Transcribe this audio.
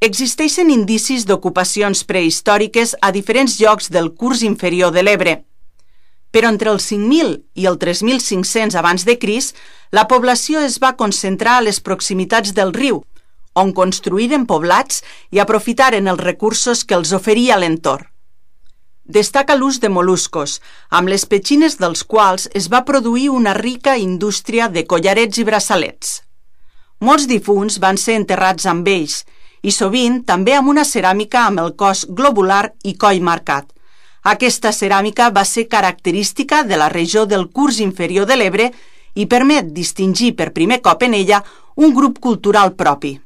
Existeixen indicis d'ocupacions prehistòriques a diferents llocs del curs inferior de l'Ebre. Però entre el 5.000 i el 3.500 abans de Crist, la població es va concentrar a les proximitats del riu, on construïren poblats i aprofitaren els recursos que els oferia l'entorn. Destaca l'ús de mol·luscos, amb les petxines dels quals es va produir una rica indústria de collarets i braçalets. Molts difunts van ser enterrats amb ells, i sovint també amb una ceràmica amb el cos globular i coll marcat. Aquesta ceràmica va ser característica de la regió del curs inferior de l'Ebre i permet distingir per primer cop en ella un grup cultural propi.